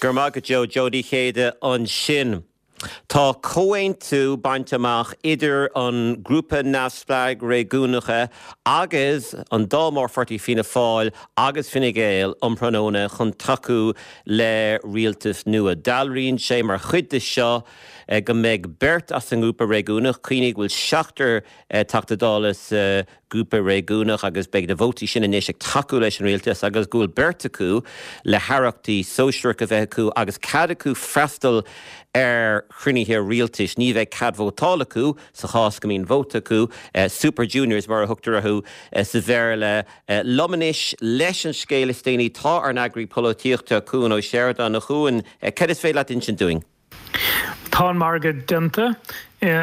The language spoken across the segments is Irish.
Go raibh maith agat Joe. Joe Uí Chéide ansin. Tá comhaontú bainte amach idir an Grúpa Neamhspleáigh Réigiúnacha agus an dá mhórpháirtí Fianna Fáil agus Fine Gael um thráthnóna chun tacú le rialtas nua. Dealraíonn sé mar chuid de seo go mbeidh beirt as an ngrúpa réigiúnach, cuimhnigh go bhfuil seachtar Teachta Dála sa grúpa réigiúnach agus beidh na vótaí sin anois ag tacú leis an rialtas agus go bhfuil beirt acu le haireachtaí sóisearach a bheith acu agus cead acu freastal ar chruinnithe rialtais. Ní bheidh cead vótála acu sa chás go mbíonn vóta acu, super juniors mar a thugtar orthu sa Bhéarla. Liom anois leis an scéal is déanaí tá ár n-eagraí polaitíochta, Cuan Ó Seireadáin. A Chuain, cad is féidir leat insint dúinn? Tá an margadh déanta,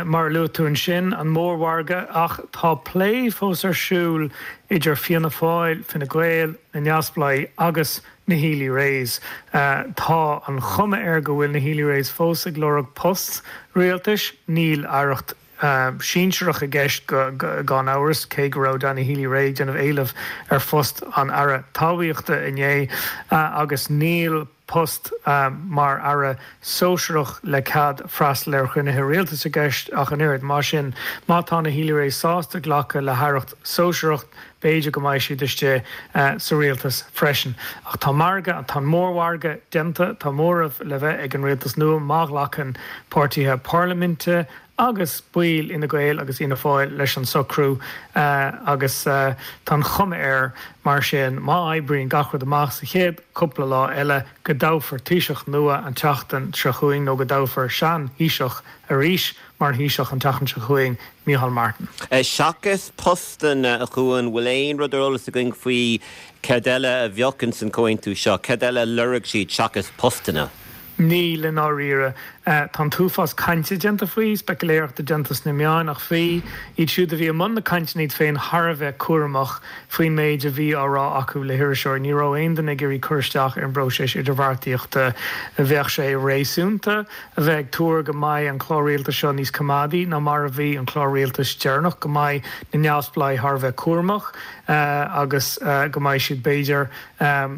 mar a luaigh tú ansin, an mórmhargadh, ach tá plé fós ar siúl idir Fianna Fáil, Fine Gael, na Neamhspleáigh agus na Healy-Raes. Tá an chuma air go bhfuil na Healy-Raes fós ag lorg post rialtais, níl aireacht sinsearach i gceist gan amhras, cé go raibh Danny Healy-Rae ag déanamh éilimh ar phost an Aire Talmhaíochta inné, agus níl post mar aire sóisearach le cead freastal ar chruinnithe rialtais i gceist ach an oiread. Mar sin, má tá na Healy-Raes sásta glacadh le haireacht sóisearach, b'fhéidir go mbeidh siad istigh sa rialtas freisin. Ach tá margadh, tá an mórmhargadh déanta, tá móramh le bheith ag an rialtas nua má ghlacann páirtithe parlaiminte agus baill Fhine Gael agus Fhianna Fáil leis an socrú agus tá an chuma air mar sin, má oibríonn gach rud amach sa chéad chúpla lá eile, go dtoghfar Taoiseach nua an tseachtain seo chugainn nó go dtoghfar sean-Thaoiseach arís mar Thaoiseach an tseachtain seo chugainn, Micheál Martin. Seachas postanna, a Chuain, bhfuil aon rud ar eolas againn faoi céard eile a bheadh ins an chomhaontú seo? Céard eile a lorg siad seachas postanna? Níl, i ndáiríre. Tá an t-uafás cainte déanta faoi, speiciléireachta déanta sna meáin, ach bhí iad siúd a bhí i mbun na cainteanna iad féin thar a bheith cúramach faoin méid a bhí á rá acu le hiriseoirí. Ní raibh aon duine ag iarraidh cur isteach ar an bpróiseas idirbheartaíochta. Bheadh sé réasúnta a bheith ag tuar go mbeidh an clár rialtais seo níos coimeádaí ná mar a bhí an clár rialtais deireanach, go mbeidh na neamhspleáigh thar a bheith cúramach agus go mbeidh siad, b'fhéidir,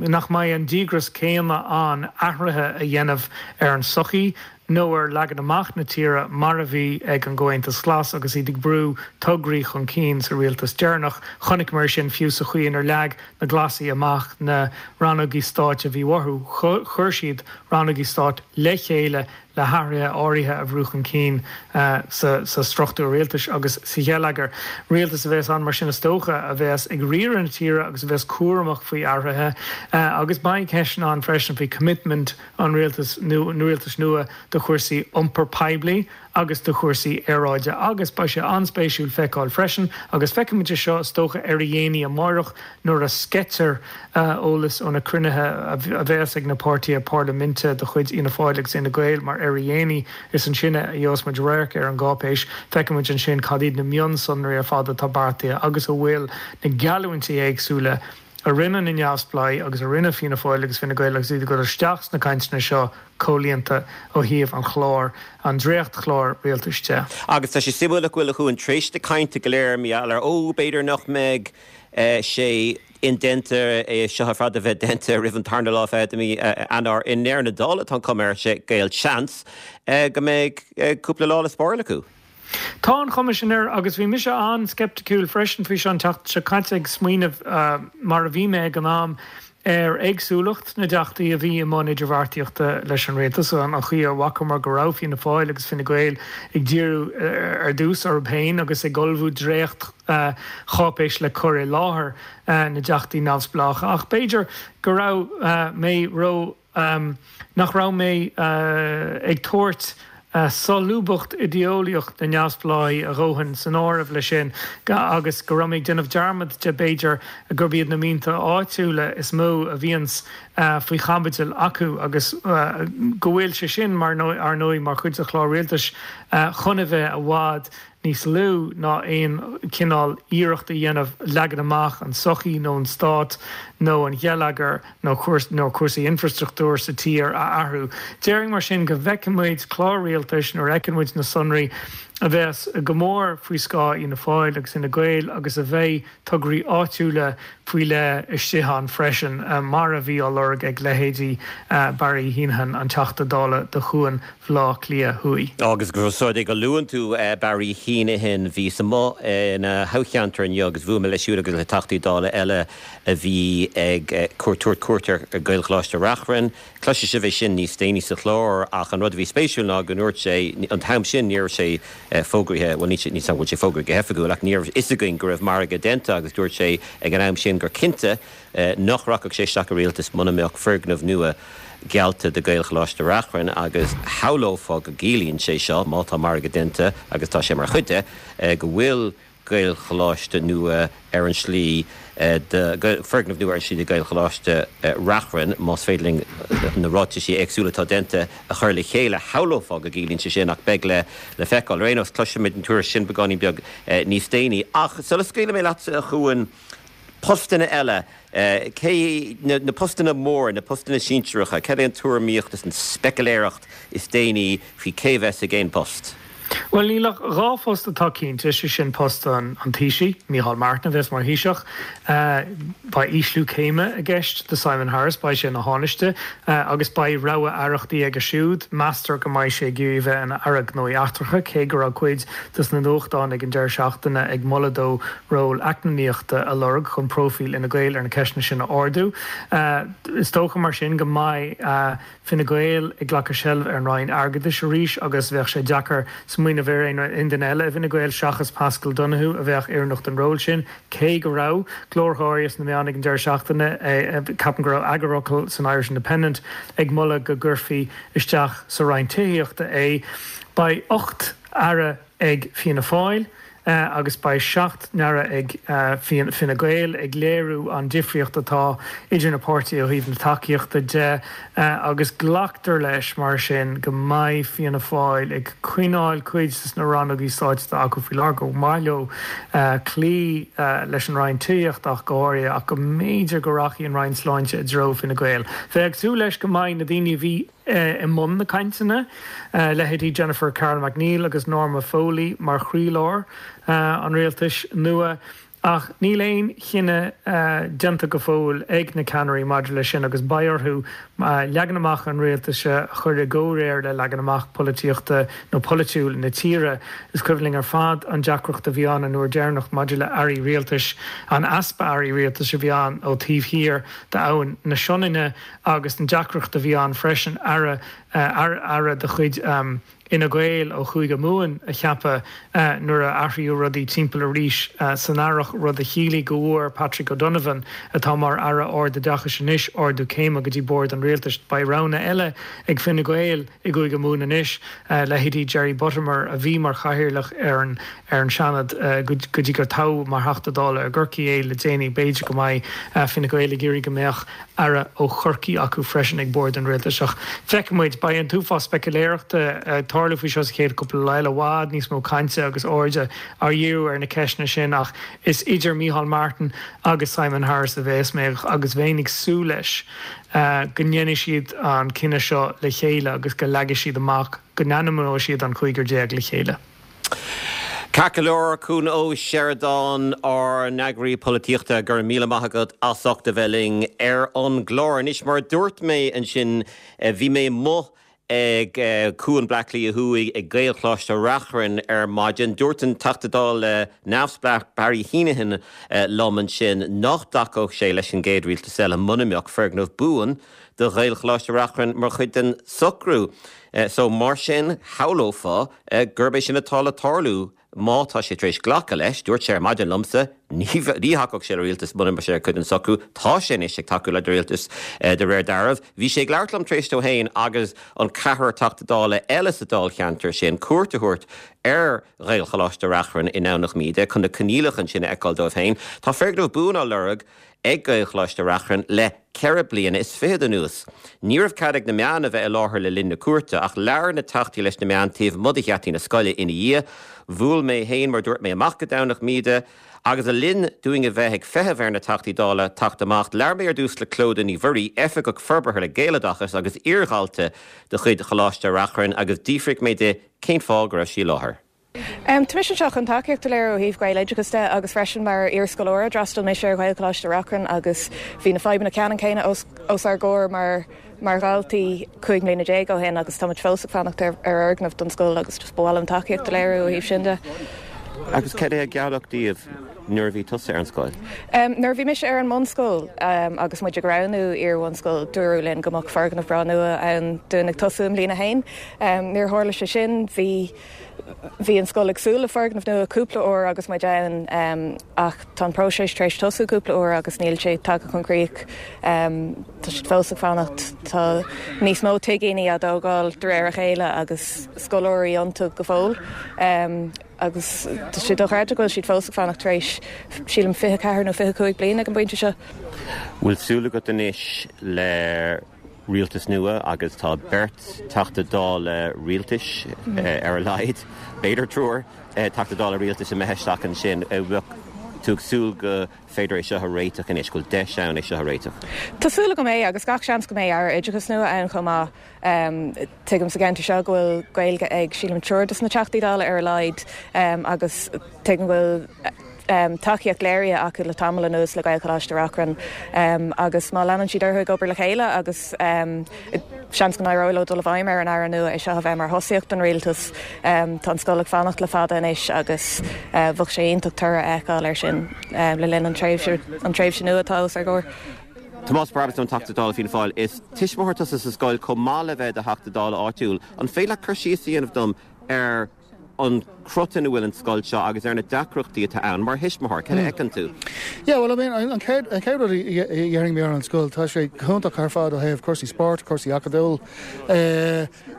nach mbeidh an díograis céanna ann athruithe a dhéanamh ar an tsochaí nó ar leagan amach na tíre mar a bhí ag an gComhaontas Glas agus iad ag brú tograí chun cinn sa rialtas deireanach. Chonaiceamar sin fiú sa chaoi inar leag na Glasaigh amach na rannógaí stáit a bhí uathu. Chuir siad rannógaí stáit le chéile le hathruithe áirithe a bhrú chun cinn sa struchtúr rialtais agus sa gheilleagar. Rialtas a bheas ann mar sin is dócha a bheas ag riaradh na tíre agus a bheas cúramach faoi athruithe agus beidh ceisteanna ann freisin faoi choimitmint an rialtais rialtais nua do chúrsaí iompar poiblí agus do chúrsaí aeráide agus beidh sé an-spéisiúil feiceáil freisin agus feicfimid é seo is dócha ar a dhéanaí amárach nuair a sceitear eolas ó na cruinnithe a bheas ag na páirtithe parlaiminte de chuid Fhianna Fáil agus Fhine Gael mar ar a dhéanaí is ansin a gheobhas muid radharc ar an gcáipéis. Feicfidh muid ansin cad iad na mionsonraí ar fad atá beartaithe agus a bhfuil na geallúintí éagsúla a rinne na Neamhspleáigh agus a rinne Fianna Fáil agus Fine Gael agus iad ag dul isteach sna cainteanna seo comhlíonta ó thaobh an chláir, an dréachtchláir rialtais de. Agus tá sé suimiúil nach bhfuil, a Chuain, tar éis na cainte go léir, mar gheall ar, ó, b'fhéidir nach mbeidh sé indéanta é seo ar fad a bheith déanta roimh an tarna lá de mhí Eanáir. I ndeireadh na dála, tá an chuma air, sé gealseans go mbeidh cúpla lá le spáráil acu. Tá an chuma sin air agus bhí mise an-sceipticiúil freisin faoi seo an tseachtain seo caite ag smaoineamh, mar a bhí mé ag an am, ar éagsúlacht na dteachtaí a bhí i mbun idirbheartaíochta leis an rialtas, an chaoi a bhfacamar go raibh Fianna Fáil agus Fine Gael ag díriú ar dtús orthu féin agus ag ullmhú dréacht-cháipéis le cur i láthair na dteachtaí neamhspleácha. Ach b'fhéidir go raibh mé ró. nach raibh mé ag tabhairt solúbthacht idéeolaíoch na neamhspleáigh a dhóthain san áireamh leis sin agus go raibh mé ag déanamh dearmad de, b'fhéidir, gurb iad na mianta áitiúla is mó a bhíonns faoi chaibidil acu agus go bhfuil sé sin, mar, ar ndóigh, mar chuid de chlár rialtais chun a bheith i bhfad níos lú ná aon chineál iarracht a dhéanamh leagan amach an tsochaí nó an stát nó an gheilleagair nó nó cúrsaí infreastruchtúir sa tír a athrú. Déarfainn mar sin go bhfeicfidh muid clár rialtais nuair a fheiceann muid na sonraí. a bheas go mór faoi scáth Fhianna Fáil agus Fhine Gael agus a bheidh tograí áitiúla faoi leith istigh ann freisin, mar a bhí á lorg ag leithéidí Barry Heneghan, an Teachta Dála do Chuan Bhaile Átha Cliath Thuaidh. Agus ós rud é go luann tú Barry Heneghan, bhíos amuigh ina thoghcheantar inniu agus bhuail mé leis siúd agus le Teachtaí Dála eile a bhí ag tabhairt cuairt ar Ghaelcholáiste Reachrann. Cloisfidh sibh é sin níos déanaí sa chlár ach an rud a bhí spéisiúil ná go ndúirt sé, an t-am sin ní raibh sé fógraithe, bhuel níl 's agam an bhfuil sé fógraithe go hoifigiúil ach ní raibh fhios againn go raibh margadh déanta agus dúirt sé ag an am sin gur cinnte nach rachadh sé isteach i rialtas muna mbeadh foirgneamh nua geallta do Ghaelcholáiste Reachrann agus shamhlófá go gciallaíonn sé seo, má tá margadh déanta agus tá sé mar chuid de, go bhfuil Gaelcholáiste nua ar an slí do, foirgneamh nua ar an slí do Ghaelcholáiste Reachrann, más féidir linn na ráitisí éagsúla atá déanta a chur le chéile. Shamhlófá go gciallaíonn sé sin ach beidh le le feiceáil. Ar aon nós, cloisfimid an tuairisc sin beagáinín beag níos déanaí. Ach sula scaoilfidh mé leatsa, a Chuain, postanna eile, cé, na postanna móra, na postanna sinsearacha, cad é an tuairimíocht is an speiciléireacht is déanaí faoi cé a bheas ag aon post? Bhuel, níl ach 2 phost atá cinnte, sé sin post an Taoisigh, Micheál Martin a bheas mar Thaoiseach. Beidh ísliú céime i gceist do Simon Harris, beidh sé ina Thánaiste agus beidh rogha aireachtaí aige siúd. Meastar go mbeidh sé ag iarraidh a bheith ina Aire Gnóthaí Eachtracha, cé go raibh cuid dos na nuachtáin ag an deireadh seachtaine ag moladh dó ról eacnamaíochta a lorg chun próifíl Fhine Gael ar na ceisteanna sin a ardú. Is dócha mar sin go mbeidh Fine Gael ag glacadh seilbh ar an Roinn Airgeadais arís agus bheadh sé deacair smaoineamh ar aon duine eile i bhFine Gael seachas Paschal Donohoe a bheadh oiriúnach don ról sin, cé go raibh glórtha áirithe sna meáin ag an deireadh seachtaine, ceapaim go raibh eagarfhocal san Irish Independent ag moladh go gcuirfí isteach sa Roinn Tithíochta é. Beidh 8 aire ag Fianna Fáil agus beidh 7 n-aire ag Fine Gael, ag léiriú an difríocht atá idir na páirtithe ó thaobh na tacaíochta de agus glactar leis mar sin go mbeidh Fianna Fáil ag coinneáil cuid de na rannógaí stáit atá acu faoi láthair, gur mhaith leo cloí leis an Roinn Tithíochta ach go háirithe ach go mb'fhéidir go rachaidh an Roinn Sláinte i dtreo Fine Gael. Bheifeá ag súil leis go mbeidh na daoine a bhí i mbun na cainteanna, leithéidí Jennifer Carroll MacNeill agus Norma Foley mar chroílár an rialtais nua. Ach níl aon chinneadh déanta go fóill ag na ceannairí maidir leis sin agus beidh orthu leagan amach an rialtais a chur i gcomhréir le leagan amach polaitíochta nó polaitiúil na tíre. Is cuimhin linn ar fad an deacracht a bhí ann an uair deireanach maidir le airí rialtais, an easpa airí rialtais a bhí ann ó taobh thiar d'Abhainn na Sionainne. agus an deacracht a bhí ann freisin aire, aire de chuid Fhine Gael ó Chúige Mumhan a cheapadh nuair a athraíodh rudaí timpeall arís san earrach, rud a chiallaigh go bhfuair Patrick O'Donovan, atá mar Aire Ardoideachais anois, ardú céime go dtí bord an rialtais. Beidh roghanna eile ag Fine Gael i gCúige Mumhan anois, leithéidí Jerry Buttimer, a bhí mar chathaoirleach ar an ar an Seanad go dtí gur toghadh mar Theachta Dála i gCorcaigh é le déanaí. B'fhéidir go mbeidh Fine Gael ag iarraidh go mbeadh aire ó Chorcaigh acu freisin ag bord an rialtais. Ach feicfidh muid. Beidh an t-uafás speiciléireachta ag tarlú faoi seo sa chéad chúpla lá eile, i bhfad níos mó cainte agus airde á dhíriú ar na ceisteanna sin ach is idir Micheál Martin agus Simon Harris a bheas mé agus bheinn ag súil leis go ndéanfaidh siad an cinneadh seo le chéile agus go leagfaidh siad amach, go n-ainmneoidh siad an cúigear le chéile. Ceart go leor, Cuan Ó Seireadáin, ár n-eagraí polaitíochta, go raibh míle maith agat as ucht a bheith linn ar an gclár. Anois, mar a dúirt mé ansin, bhí mé amuigh ag Cuan Bleá Cliath Thuaidh ag Gaelcholáiste Reachrann ar maidin. Dúirt an Teachta Dála neamhspleách Barry Heneghan liom ansin nach dtacódh sé leis an gcéad rialtas eile muna mbeadh foirgneamh buan do Ghaelcholáiste Reachrann mar chuid den socrú. So, mar sin, shamhlófá gurb é sin atá le tarlú má tá sé tar éis glacadh leis. Dúirt sé ar maidin liomsa, ní thacódh sé le rialtas muna mbeadh sé ar chuid den socrú. Tá sé anois ag tacú le rialtas de réir dealraimh. Bhí sé ag labhairt liom tar éis dó féin agus an ceathrar Teachta Dála eile sa dáilcheantar sin cuairt a thabhairt ar Ghaelcholáiste Reachrann i nDomhnach Míde chun na coinníollacha ansin a fheiceáil dóibh féin. Tá foirgneamh buan á lorg ag Gaelcholáiste Reachrann le ceithre bliana is fichead anuas. Ní raibh cead ag na meáin a bheith i láthair le linn na cuairte, ach labhair na teachtaí leis na meáin taobh amuigh de gheataí na scoile ina dhiaidh. Bhuail mé féin, mar dúirt mé, amach go Domhnach Míde agus le linn dúinn a bheith ag feitheamh ar na Teachtaí Dála teacht amach, labhair mé ar dtús le Clodagh Ní Mhuirí, Oifigeach Forbartha le Gaeloideachas agus iardhalta de chuid Choláiste Reachrann agus d'fhiafraigh mé di cén fáth go raibh sí i láthair. Tá mise anseo chun tacaíocht a léiriú ó thaobh Gaeloideachas de agus freisin mar iar-scoláire. D'fhreastail mise ar Ghaelcholáiste Reachrann agus bhí na fadhbanna ceannann céanna os ár gcomhair mar mar dhaltaí 15 mbliana ó shin agus táimid fós ag fanacht ar fhoirgneamh don scoil agus just ba mhaith liom tacaíocht a léiriú ó thaobh sin de. Agus cad é a gealladh daoibh nuair a bhí tusa ar an scoil? Nuair a bhí mise ar an mbunscoil agus muid ag roghnú iar-bhunscoil dúradh linn go mbeadh foirgneamh breá nua ann dúinn ag tosú i mbliain a haon. Níor tharla sé sin. Bhí Bhí an scoil ag súil le foirgneamh nua cúpla uair agus muid ann ach tá an próiseas tar éis tosú cúpla uair agus níl sé tagtha chun críoch. Tá siad fós ag fanacht. Tá níos mó tigíní á dtógáil de réir a chéile agus scoláirí iontu go fóill agus tá sé dochreidte go bhfuil siad fós ag fanacht tar éis, sílim, 24 nó 25 bliain ag an bpointe seo. Bhfuil súil agat anois le rialtas nua agus tá beirt Teachta Dála rialtais ar a laghad, b'fhéidir triúr Teachta Dála rialtais imithe isteach ansin. Bheadh tú ag súil go féidir é seo a réiteach anois, go bhfuil deis ann é seo a réiteach? Tá súil agam é agus gach seans go mbeidh Aire Oideachais nua ann chomh maith. Tuigim sa gceantar seo go bhfuil Gaeilge ag, sílim, triúr de na Teachtaí Dála ar a laghad agus tuigim go bhfuil tacaíocht léirithe acu le tamall anuas le Gaelcholáiste Reachrann agus má leanann siad orthu ag obair le chéile agus seans go n-éireoidh leo dul i bhfeidhm ar an Aire nua é seo a bheith mar thosaíocht don rialtas. Tá an scoil ag fanacht le fada anois agus bheadh sé iontach toradh a fheiceáil air sin le linn an tréimhse an tréimhse nua atá os ár gcomhair. Tomás Brabazon, Teachta Dála Fianna Fáil, Is tuismitheoir tusa sa scoil chomh maith le bheith i do Theachta Dála áitiúil. An féidir leat cur síos a dhéanamh dom ar an gcrot ina bhfuil an scoil seo agus ar na deacrachtaí atá ann mar thuismitheoir, cad a fheiceann tú? Yeah, well, I mean, an chéad, an chéad rud a dhéarfaidh mé ar an scoil, tá sé go hiontach ar fad ó thaobh cúrsaí spóirt, cúrsaí acadúil,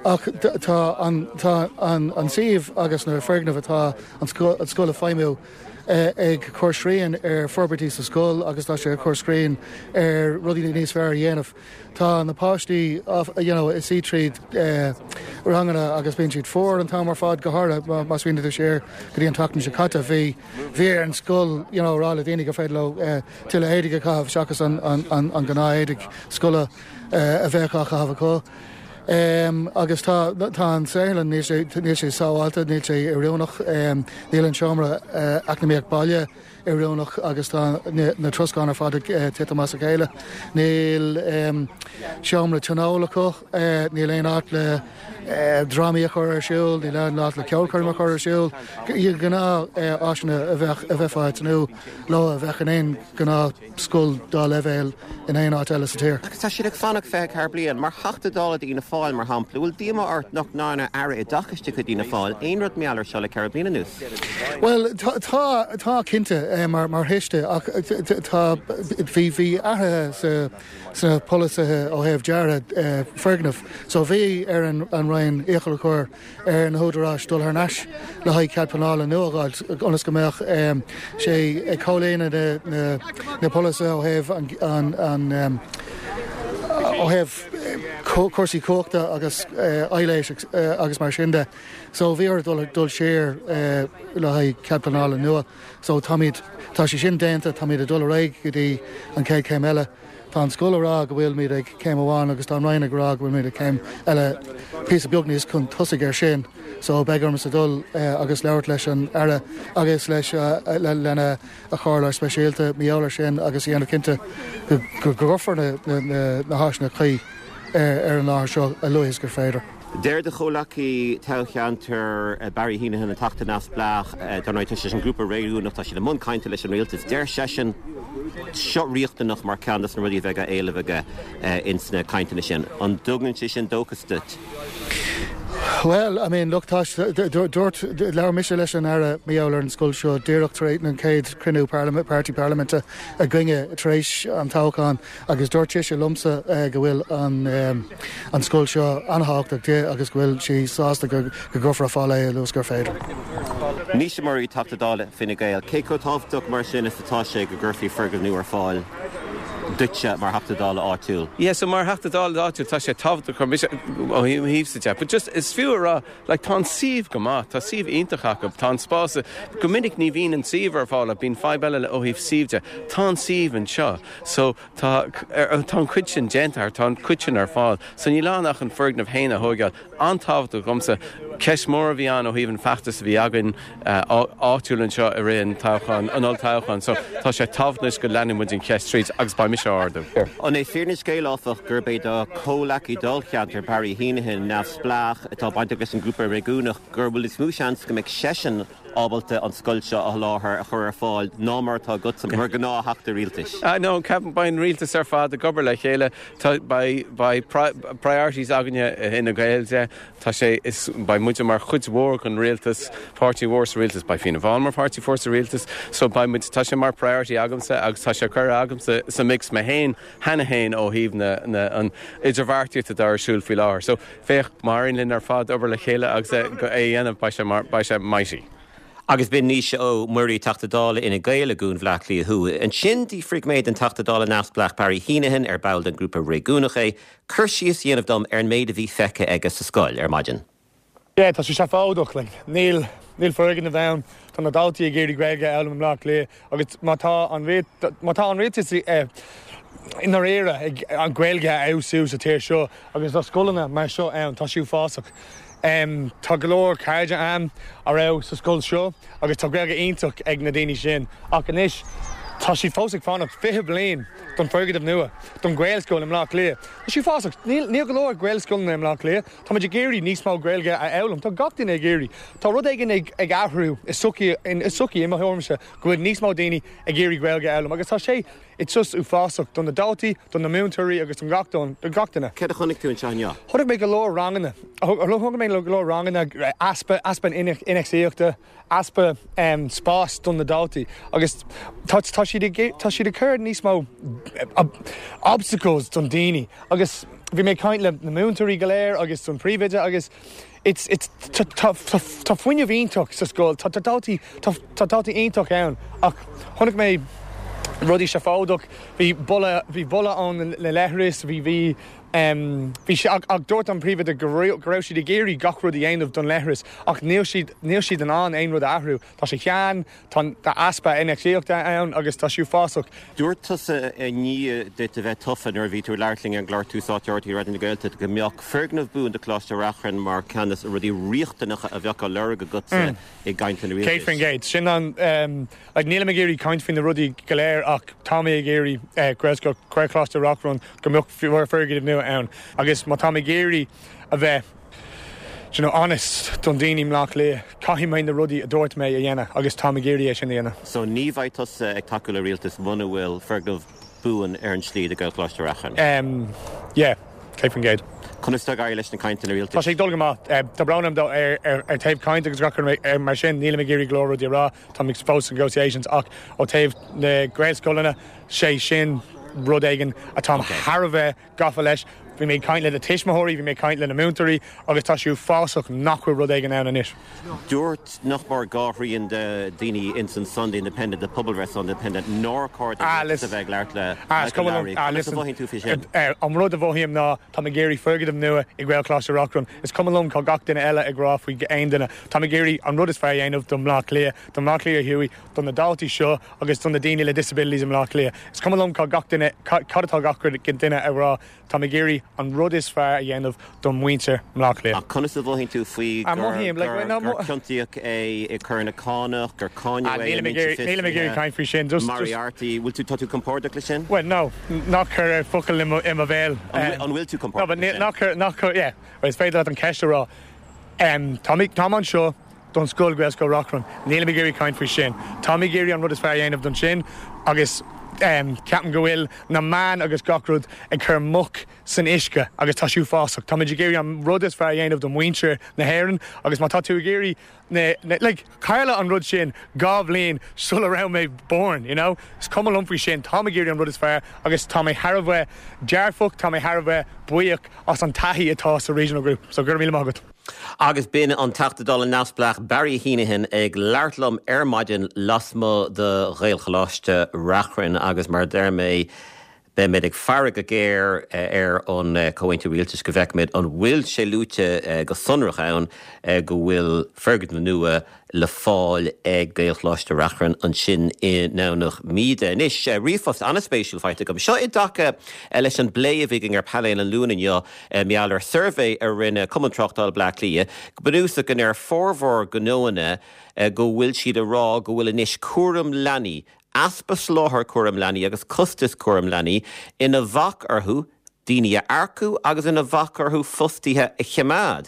ach tá an, tá an, an suíomh agus na foirgnimh atá an scoil, an scoil ag feidhmiú ag cur srian ar forbairtí sa scoil agus tá sé ag cur srian ar rudaí níos fearr a dhéanamh. Tá na páistí you know ag suí tríd ranganna agus bíonn siad fuar an t-am ar fad, go háirithe má smaoiníonn tú siar go dtí an tseachtain seo caite, bhí bhí ar an scoil you know rá le daoine gur féidir leo tuilleadh éadaigh a chaitheamh seachas an an an gnáth éadaigh scoile a bheadh á chaitheamh acu. Agus tá tá an saotharlann níl sé níl sé sábháilte, níl sé oiriúnach, níl an seomra eacnamaíocht baile oiriúnach agus tá na troscáin ar fad ag titim as a chéile. Níl seomra tionóil acu, níl aon áit le drámaí a chur ar siúl, níl aon áit le ceolchoirm a chur ar siúl. Gnáth áiseanna a bheadh a bheifeá ag tnúth leo a bheadh in aon ghnáth scoil dá leibhéal in aon áit eile sa tír. Agus tá siad ag fanacht 24 bliain. Mar Theachta Dála d'Fhianna Fáil, mar shampla, bhfuil díomá ort nach ndearna Aire Oideachais de chuid Fhianna Fáil aon rud mar gheall air seo le ceithre bliana anuas? Bhuel, tá, tá cinnte, mar, mar thuiste, ach tá, bhí, bhí athruithe sa, sna polasaithe ó thaobh dearadh foirgneamh. So bhí ar an, an Roinn iachall a chur ar na húdaráis dul thar n-ais le haghaidh cead pleanála nua a fháil ionas go mbeadh sé ag comhlíonadh na polasaithe ó thaobh an ó thaobh cúrsaí cumhachta agus aibhléis agus mar sin de. So bhí orthu dul dul siar le haghaidh cead pleanála nua. So táimid, tá sé sin déanta, táimid ag dul ar aghaidh go dtí an chéad chéim eile. Tá an scoil ag rá go bhfuilimid ag céim amháin agus tá an Roinn ag rá go bhfuilimid ag céim eile píosa beag níos chun tosaigh ar sin so beidh ormsa dul agus labhairt leis an Aire agus leis lena a chomhairleoir speisialta mar gheall ar sin agus a dhéanamh cinnte go gcuirfear na háiseanna cuí ar an láthair seo a luaithe is gur féidir. Deir do chomhleacaí toghcheantair Barry Heneghan, an Teachta Neamhspleách, dar ndóigh tá sé leis an ngrúpa réigiúnach, tá siad i mbun cainte leis an rialtas, deir seisean seo riachtanach mar ceann dos na rudaí a bheidh á éileamh aige ins na cainteanna sin. An dtugann sé sin dóchas duit? Bhuel, I mean, look, tá, dúirt, labhair mise leis an Aire mar gheall ar an scoil seo díreach tar éis an chéad chruinniú páirtí parlaiminte againne tar éis an toghcháin. Agus dúirt sise liomsa go bhfuil an scoil seo an-thábhachtach di agus go bhfuil sí sásta go gcuirfear ar fáil é a luaithe is gur féidir. Naoise Murray, Teachta Dála Fine Gael, Cé chomh tábhachtach mar sin is atá sé go gcuirfí foirgneamh nua ar fáil? duitse mar Theachta Dála áitiúil? Yeah, so mar Theachta Dála áitiúil tá sé tábhachtach chun mise ó thaobhsa de, but just is fiú a rá, like tá an suíomh go maith, tá suíomh iontach acu, tá an spás, go minic ní bhíonn an suíomh ar fáil, bíonn fadhb eile ó thaobh suíomh de, tá an suíomh anseo, so tá, tá an chuid sin déanta, tá an chuid sin ar fáil, so níl ann ach an foirgneamh féin a thóigeáil. An-tábhachtach dhomsa. Ceist mhór a bhí ann ó thaobh an feachtas a bhí againn áitiúil anseo i rith an toghcháin, an olltoghcháin. So tá sé tábhachtach anois go leanfaidh muid an cheist tríd agus beidh mise á ardú. An é fírinne an scéil, áfach, gurb é do chomhleacaí dáilcheantair, Barry Heneghan, neamhspleách, atá bainteach leis an ngrúpa réigiúnach, gur bhfuil níos mó seans go mbeidh seisean ábalta an scoil seo a sholáthar, a chur ar fáil, ná mar atá agatsa mar ghnáth-theachta rialtais? No, ceapaim, beidh an rialtas ar fad ag obair le chéile. Tá, beidh, beidh priorities againne i Fhine Gael de. Tá sé, is, beidh muide mar chuid mhór den rialtas, páirtí mhór sa rialtas, beidh Fianna Fáil mar pháirtí mhór sa rialtas, so beidh muid, tá sé mar priority agamsa agus tá sé curtha agamsa sa mix mé féin cheana féin ó thaobh na, na, an idirbheartaíocht atá ar siúl faoi láthair. So, féach, má éiríonn linn ar fad obair le chéile agus é a dhéanamh, beidh sé mar, beidh sé mighty. Agus b'in Naoise Ó Muirí, Teachta Dála Fhine Gael i gCuan Bhaile Átha Cliath Thuaidh. Ansin d'fhiafraigh mé den Teachta Dála neamhspleách Barry Heneghan, ar ball den ghrúpa réigiúnach é, cur síos a dhéanamh dom ar an méid a bhí feicthe aige sa scoil ar maidin. Yeah, tá sé seafóideach, like, níl, níl foirgneamh ann, tá na daltaí ag iarraidh Gaeilge a fhoghlaim i mBleá Cliath agus má tá an, má tá an rialtas i ndáiríre ag an Ghaeilge a fheabhsú sa tír seo agus tá scoileanna mar seo ann, tá sé uafásach. Tá go leor cairde a'm a raibh sa scoil seo agus tá Gaeilge iontach ag na daoine sin ach anois tá siad fós ag fanacht 20 bliain don foirgneamh nua don Ghaelscoil i mBleá Cliath. Tá sé uafásach. Níl níl go leor Gaelscoileanna i mBleá Cliath. Táimid ag iarraidh níos mó Gaeilge a fhoghlaim. Tá gach duine ag iarraidh. Tá rud éigin ag ag athrú i sochaí i sochaí i mo thuairimse go bhfuil níos mó daoine ag iarraidh Gaeilge a fhoghlaim agus tá sé It's just uafásach do na daltaí, do na múinteoirí agus don gach don gach duine. Céard a chonaic tú anseo inniu? Chonaic mé go leor ranganna. Chonaic mé go leor ranganna, easpa, easpa infheistíochta, easpa spás don na daltaí agus tá tá siad ag tá siad ag cur níos mó obstacles don daoine agus bhí mé ag caint le na múinteoirí go léir agus don príomhoide agus It's, it's, tá, tá, tá fuinneamh iontach sa scoil, tá, tá daltaí, tá, tá daltaí iontach ann ach chonaic mé rudaí seafóideach, bhí boladh, bhí boladh ón na leithris, bhí, bhí, em, bhí sé, ach, ach dúirt an príomhoide go raibh, go raibh siad ag iarraidh gach rud a dhéanamh don leithris ach níl siad, níl siad in ann aon rud a athrú, tá sé shean, Tá easpa infheistíochta ann agus tá sé uafásach. Dúirt tusa i ndiaidh duit a bheith tofa nuair a bhí tú ag labhairt linn ar an gclár Tús Áite RTÉ Raidió na Gaeltachta go mbeadh foirgneamh buan do Choláiste Reachrann mar cheann de na rudaí riachtanacha a bheadh á lorg agatsa i gcainteanna rialtais. 100%. Sin an, like, nílim ag iarraidh caint faoi na rudaí go léir ach tá mé ag iarraidh Gaelscoil, Gaelcholáiste Reachrann go mbeadh foirgneamh nua ann agus má táim ag iarraidh a bheith you know, honest don daoine i mBleá Cliath, caithfidh mé na rudaí a dúirt mé a dhéanamh agus táim ag iarraidh é sin a dhéanamh. So ní bheidh tusa ag tacú le rialtas muna bhfuil foirgneamh buan ar an tslí do Ghaelcholáiste Reachrann? Um, yeah, 100%. Conas atá ag éirí leis na cainteanna rialtais? Tá sé ag dul go maith. Tá brón orm ar, ar, ar taobh caint agus gach rud mar sin, nílim ag iarraidh go leor rudaí a rá, táim ag fós negotiations ach ó taobh na Gaelscoileanna, sé sin rud éigin atáim thar a bheith gafa leis. Bhí mé ag caint le na tuismitheoirí, bhí mé ag caint le na múinteoirí agus tá sé uafásach nach bhfuil rud éigin ann anois. Dúirt nach mór dhá thrian de daoine ins an Sunday Independent, de pobalbhreith Sunday Independent, nár chóir don rialtas a bheith ag labhairt le Michael Lowry. Conas a mhothaíonn tú faoi sin? An rud a mhothaím ná táim ag iarraidh foirgneamh nua i Gaelcholáiste Reachrann. Is cuma liom cad gach duine eile ag rá faoi aon duine. Táim ag iarraidh an rud is fearr a dhéanamh do Bhleá Cliath, do Bhleá Cliath Thuaidh, do na daltaí seo agus do na daoine le disabilities i mBleá Cliath. Is cuma liom cad gach duine, cad atá gach duine a rá, táim ag iarraidh an rud is fearr a dhéanamh do mhuintir mBleá Cliath. Ach conas a mhothaíonn tú faoi gur ciontaíodh é i coireanna cánach, gur cáineadh é i ndlínse fiosraithe? Nílim ag iarraidh caint faoi sin. Moriarty, bhfuil tú, tá tú compordach leis sin? Well, no, ná cuir focal i mo bhéal. An bhfuil tú compordach leis sin? No, but ná cuir, ná cuir, yeah, is féidir leat an ceist a rá. Táim anseo don scoil, Gaelscoil Reachrann. Nílim ag iarraidh caint faoi sin. Táim ag iarraidh an rud is fearr a dhéanamh don sin agus ceapaim go bhfuil na meáin agus gach rud ag cur muc san uisce agus tá sé uafásach. Táimid ag iarraidh an rud is fearr a dhéanamh do mhuintir na hÉireann agus má tá tú ag iarraidh na, na, like, tharla an rud sin dhá bhliain sula raibh mé born, you know? Is cuma liom faoi sin. Táim ag iarraidh an rud is fearr agus tá mé thar a bheith dearfach, tá mé thar a bheith buíoch as an taithí atá sa Regional Group. So go raibh míle maith agat. Agus b'in an Teachta Dála neamhspleách Barry Heneghan ag labhairt liom ar maidin lasmuigh de Ghaelcholáiste Reachrann agus mar a deir mé. Beimid ag faire go géar ar an Comhaontú Rialtais go bhfeicfimid an bhfuil sé luaite go sonrach ann go bhfuil foirgneamh nua le fáil ag Gaelcholáiste Reachrann ansin i nDomhnach Míde. Anois, ríomhphost an-spéisiúil faighte agam. Seo i dtaca leis an bplé a bhí againn ar Painéal an Luain inniu mar gheall ar suirbhé a rinne Cumann Tráchtála Bleá Cliath, go bunúsach go ndeir formhór gnóanna go bhfuil siad ag rá go bhfuil anois cúram leanaí, easpa soláthair cúram leanaí agus costas cúram leanaí ina bhac orthu daoine a earcú agus ina bhac orthu fostaithe a choimeád.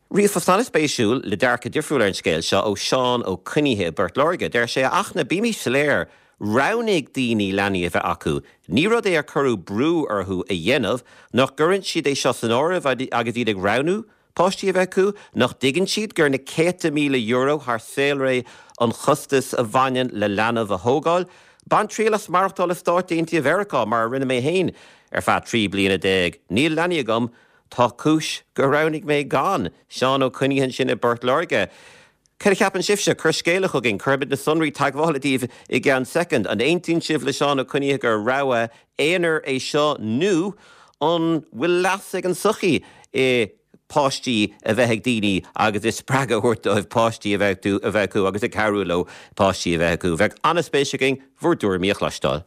Ríomhphost an-spéisiúil le dearcadh difriúil ar an scéal seo ó Seán Ó Coinnithe i bPort Láirge. Deir sé, A Fhachtna, bímís soiléir, roghnaigh daoine leanaí a bheith acu. Ní rud é ar cuireadh brú orthu a dhéanamh. Nach gcuireann siad é seo san áireamh agus iad ag roghnú páistí a bheith acu? Nach dtuigeann siad gur na céadta míle euro thar saolré an chostas a bhaineann le leanbh a thógáil? Bain triail as maireachtáil i Stáit Aontaithe Mheiriceá, mar a rinne mé féin ar feadh 13 bliana. Níl leanaí agam, Tá cúis gur roghnaigh mé gan. Seán Ó Coinnithe ansin i bPort Láirge. Cad a cheapann sibhse? Cuir scéala chugainn. Cuirfimid na sonraí teagmhála daoibh i gceann soicind. An aontaíonn sibh le Seán Ó Coinnithe gur rogha aonair é seo nó an bhfuil leas ag an tsochaí i páistí a bheith ag daoine agus i spreagadh a thabhairt dóibh páistí a bheith acu agus ag cabhrú leo páistí a bheith acu? Bheadh an-spéis againn bhur dtuairimí a chloisteáil.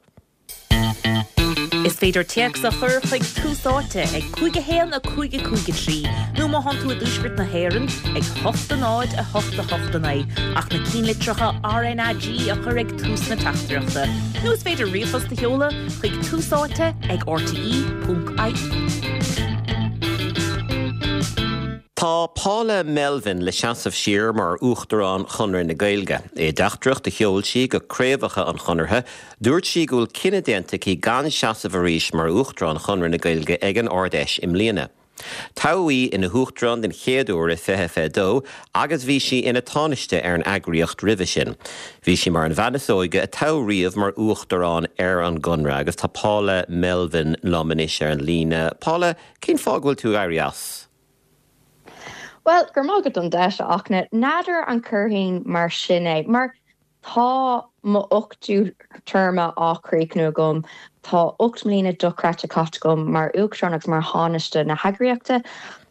Is féidir téacs a chur chuig Tús Áite ag 5 1 5 5 3 nó má thánn tú i dTuaisceart na hÉireann ag 8 0 8 8 9 ach na cinnlitreacha RnaG a chur ag tús na teachtaireachta. Nó is féidir ríomhphost a sheoladh chuig Tús Áite ag rte.ie. Tá Paula Melvin le seasamh siar mar Uachtarán Chonradh na Gaeilge. I dteachtaireacht a sheol sí go craobhacha an Chonartha, Dúirt sí go bhfuil cinneadh déanta aici gan seasamh arís mar Uachtarán Chonradh na Gaeilge ag an Ard-Fheis i mbliana. Toghadh í ina hUachtarán den chéad uair i 2022 agus bhí sí ina Tánaiste ar an eagraíocht roimhe sin. Bhí sí mar an bhean is óige a toghadh riamh mar Uachtarán ar an gConradh agus tá Paula Melvin liom anois ar an líne. Paula, cén fáth go bhfuil tú ag éirí as? Bhuel, go raibh maith agat don deis, a Fhachtna. N'fheadar an gcuirfinn mar sin é, mar Tá mo ochtú téarma á chríochnú agam. Tá 8 mbliana dochreidte caite agam mar Uachtarán agus mar Thánaiste na heagraíochta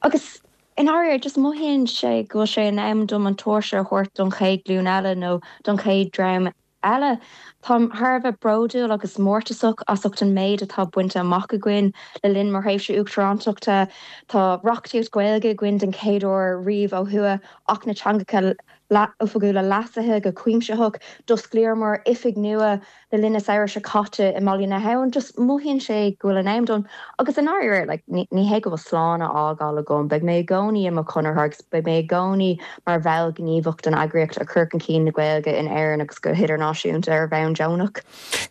agus i ndáiríre just mothaíonn sé go bhfuil sé in am dom an tóirse a thabhairt don chéad ghlúin eile nó don chéad dream eile. Táim thar a bheith bródúil agus mórtasach as ucht an méid atá bainte amach againn le linn mo thréimhse uachtarántachta. Tá reachtaíocht Ghaeilge againn den chéad uair riamh ó thuaidh, Acht na dTeangacha Oifigiúla leasaithe go cuimsitheach. D'osclaíomar oifig nua le linn an samhradh seo caite i mBaile na hAbhann. Just mothaíonn sé go bhfuil an am done. Agus i ndáiríre, like, ní hé go bhfuil slán á fhágáil agam. Beidh mé i gcónaí i mo chonraitheoir agus beidh mé i gcónaí mar bhall gníomhach den eagraíocht ag cur chun cinn na Gaeilge in Éirinn agus go hidirnáisiúnta ar bhonn deonach.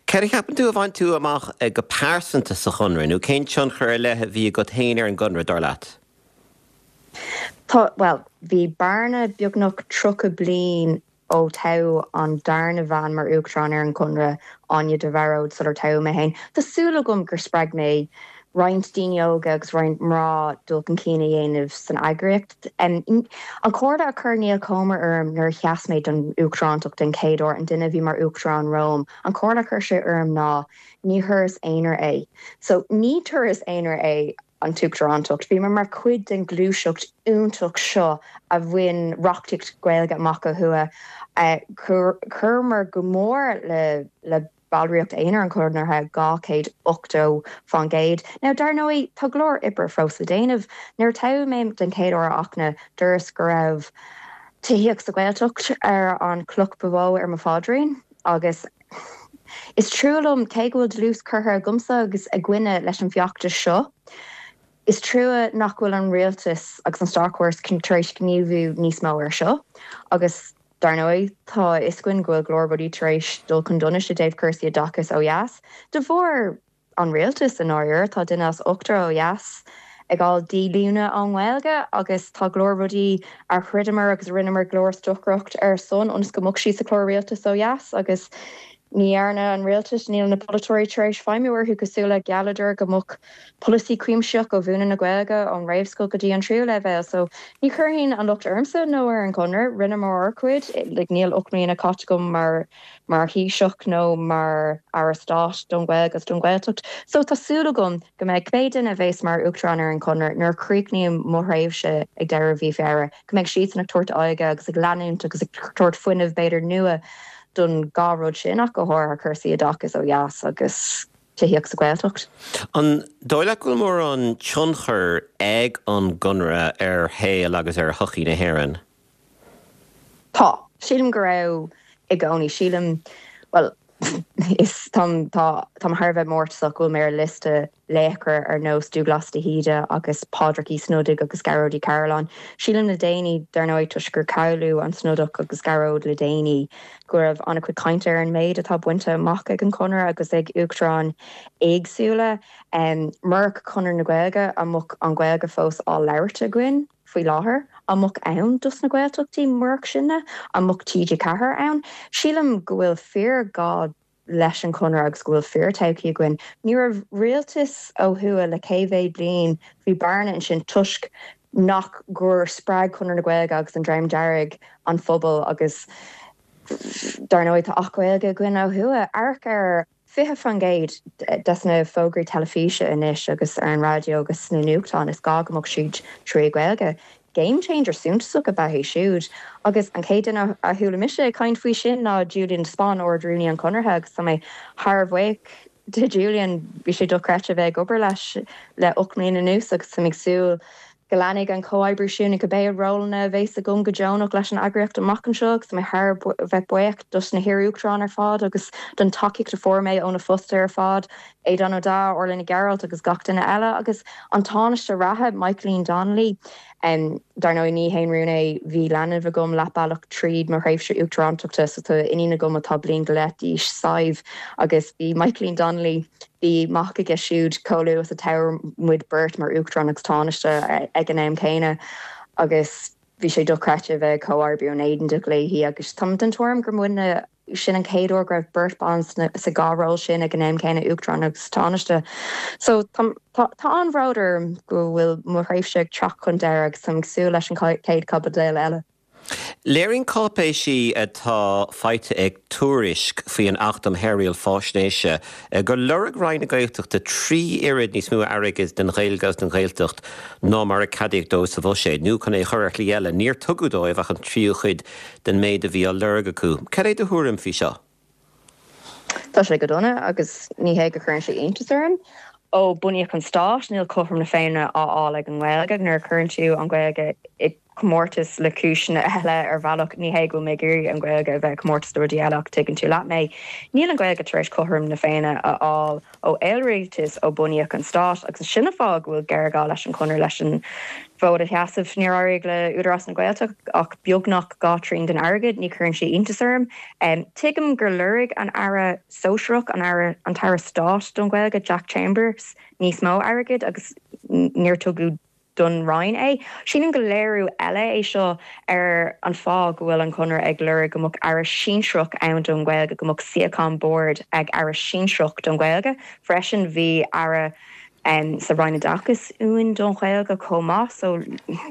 Céard a cheapann tú a bhain tú amach go pearsanta sa Chonradh nó cén tionchar ar leith a bhí agat féin ar an gConradh, dar leat? Tá, bhuel, bhí bearna beagnach 30 bliain ó toghadh an darna bhean mar Uachtarán ar an gConradh, Áine de Mhearóid, sular toghadh mé féin. Tá súil agam gur spreag mé roinnt daoine óga agus roinnt mná dul chun cinn a dhéanamh san eagraíocht. An chomhairle a chuir Niall Comer orm nuair a sheas mé don Uachtarántacht den chéad uair, an duine a bhí mar Uachtarán romham, an chomhairle a chuir sé orm ná ní thuras aonair é. So, ní turas aonair é. an tUachtarántacht. Bhíomar mar chuid den ghluaiseacht iontach seo a bhain reachtaíocht Ghaeilge amach ó thuaidh. Chuireamar go mór le ballraíocht aonair an Chonartha, 280%. Now, dar ndóigh, tá go leor oibre fós le déanamh. Nuair a toghadh mé den chéad uair, a Fhachtna, dúras go raibh tithíocht sa Ghaeltacht ar an chloch ba mhó ar mo phaidrín agus, Is trua liom, cé go bhfuil dlús curtha agamsa agus againne leis an bhfeachtas seo, is trua nach bhfuil an rialtas agus an státchóras tar éis gníomhú níos mó air seo. Agus, dar ndóigh, tá a fhios againn go bhfuil go leor rudaí tar éis dul chun donais i dtaobh cúrsaí oideachais ó dheas, de bharr an rialtais i ndáiríre. Tá duine as ochtar ó dheas ag fháil díolúine ón nGaeilge agus tá go leor rudaí a throideamar agus a rinneamar go leor stocaireacht ar son ionas go mbeadh siad sa chlár rialtais ó dheas agus. Ní dhearna an rialtas, níl na polaiteoirí tar éis feidhmiú orthu cosúil le ghealladar go mbeadh polasaí cuimsitheach ó mhúineadh na Gaeilge ón réamhscoil go dtí an tríú leibhéal. So ní chuirfinn an locht ormsa nó ar an Chonradh, rinneamar ár gcuid, like níl 8 mbliana caite agam mar mar Thaoiseach nó mar Aire Stáit don Ghaeilge agus don Ghaeltacht. So tá súil agam go mbeidh cibé duine a bheas mar Uachtarán ar an Chonradh nuair a chríochnaím mo thréimhse ag deireadh mhí Feabhra, go mbeidh siadsan ag tabhairt aghaidhe agus ag leanúint agus ag tabhairt fuinneamh b'fhéidir nua don dhá rud sin ach go háirithe cúrsaí oideachais ó dheas agus tithíocht sa Ghaeltacht. An dóigh leat go bhfuil mórán tionchair ag an gConradh ar shaol agus ar shochaí na hÉireann? Tá. Sílim go raibh i gcónaí. Sílim, bhuel, is táim, tá, táim thar a bheith mórtasach go bhfuil mé ar liosta laochra ar nós Dubhghlas de hÍde agus Pádraic Uí Snodaigh agus Gearóid Uí Cairealláin. Sílim le déanaí, dar ndóigh, toisc gur cailleadh an Snodach agus Gearóid le déanaí, go raibh an-chuid cainte ar an méid atá bainte amach ag an Chonradh agus ag uachtaráin éagsúla. Murach Conradh na Gaeilge, an mbeadh an Ghaeilge fós á labhairt againn faoi láthair? An mbeadh ann dos na Gaeltachtaí murach sinne? An mbeadh TG4 ann? Sílim go bhfuil fíorghá leis an Chonradh agus go bhfuil fíor-todhchaí againn. Ní raibh rialtas ó thuaidh le cé mhéad bliain, bhí bearna ansin toisc nach gur spreag Conradh na Gaeilge agus an Dream Dearg an phobal agus dar ndóigh tá Acht Gaeilge againn ó thuaidh. Amharc ar 20% des na fógraí teilifíse anois agus ar an raidió agus sna nuachtáin is gá go mbeadh siad trí Ghaeilge. Game changer suntasach ab ea é siúd. Agus an chéad duine a chuala mise ag caint faoi sin ná Julian de Spáinn, Ard-Rúnaí an Chonartha agus tá mé thar a bheith buíoch de Julian. Bhí sé dochreidte a bheith ag obair leis le 8 mbliana anuas agus táim ag súil go leanfaidh an comhoibriú sin i cibé rólanna a bheas agam go deonach leis an eagraíocht amach anseo agus tá mé thar a bheith buíoch dos na hiar-uachtaráin ar fad agus don tacaíocht a fuair mé ó na fostaithe ar fad. Aodhán Ó Deá, Orla Nic Gearailt agus gach duine eile agus an Tánaiste reatha, Michaeline Donnelly. Dar ndóigh, ní haon rún é, bhí leanbh agam leath bealach tríd mo thréimhse uachtarántachta so tá iníon agam atá bliain go leith d'aois, Sadhbh, agus bhí Michaeline Donnelly, bhí mac aige siúd chomh luath is a toghadh muid beirt mar Uachtarán agus Tánaiste ag an am céanna agus bhí sé dochreidte a bheith ag comhoibriú in éineacht léi agus táim den tuairim gur muidne Sin an chéad uair go raibh beirt ban sa dhá ról sin ag an am céanna, Uachtarán agus Tánaiste. So tá tá an-bhród orm go bhfuil mo thréimhse ag teacht chun deireadh agus táim ag súil leis an chéad chaibidil eile. Léiríonn cáipéisí atá faighte ag Tuairisc faoi an Acht um Shaorriail Faisnéise gur lorg Roinn na Gaeltachta 3 oiread níos mó airgid don Ghaeilge agus don Ghaeltacht ná mar a ceadaíodh dóibh sa bhuiséad, nó chun é a chur ar shlí eile, níor tugadh dóibh ach an tríú cuid den méid a bhí á lorg acu. Cad é do thuairim faoi seo? Tá sé go dona agus ní hé go gcuireann sé iontas orm. Ó bunaíodh an stát, níl cothrom na Féinne á fháil ag an nGaeilge. Nuair a chuireann tú an Ghaeilge i gcomórtas le cúiseanna eile ar bhealach, ní hé go bhfuil mé ag iarraidh an Ghaeilge a bheith i gcomórtas le rudaí eile ach tuigeann tú leat mé, níl an Ghaeilge tar éis cothrom na Féinne a fháil. ó aon rialtas ó bunaíodh an stát agus sin an fáth go bhfuil géarghá leis an Chonradh leis an bhfód a sheasamh. Níor éirigh le Údarás na Gaeltachta ach beagnach 2/3 den airgead, ní chuireann sé iontas orm. Tuigim gur lorg an Aire Sóisearach, an Aire, an tAire Stáit don Ghaeilge, Jack Chambers, níos mó airgid agus níor tugadh don Roinn é. Sílim gur léiriú eile é seo ar an fáth go bhfuil an Conradh ag lorg go mbeadh Aire sinsearach ann don Ghaeilge, go mbeadh suíochán boird ag Aire sinsearach don Ghaeilge. Freisin bhí Aire sa Roinn Oideachais uainn don Ghaeilge chomh maith so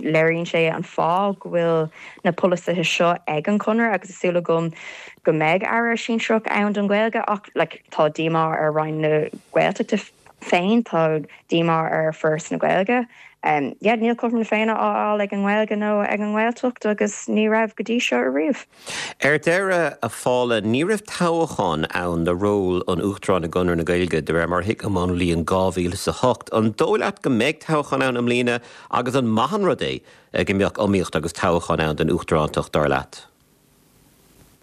léiríonn sé an fáth go bhfuil na polasaithe seo ag an Chonradh agus tá súil agam go mbeidh Aire sinsearach ann don Ghaeilge ach like tá díomá ar Roinn na Gaeltachta féin, tá díomá ar Foras na Gaeilge. Yeah, níl cothrom na Féinne á fháil ag an nGaeilge nó ag an nGaeltacht agus ní raibh go dtí seo ariamh. Ar deireadh, a Phaula, ní raibh toghchán ann do ról an Uachtaráin i gConradh na Gaeilge, de réir mar a thuigim, ón mbliain 2008. An dóigh leat go mbeidh toghchán ann i mbliana agus an maith an rud é go mbeadh iomaíocht agus toghchán ann don Uachtarántacht, dar leat?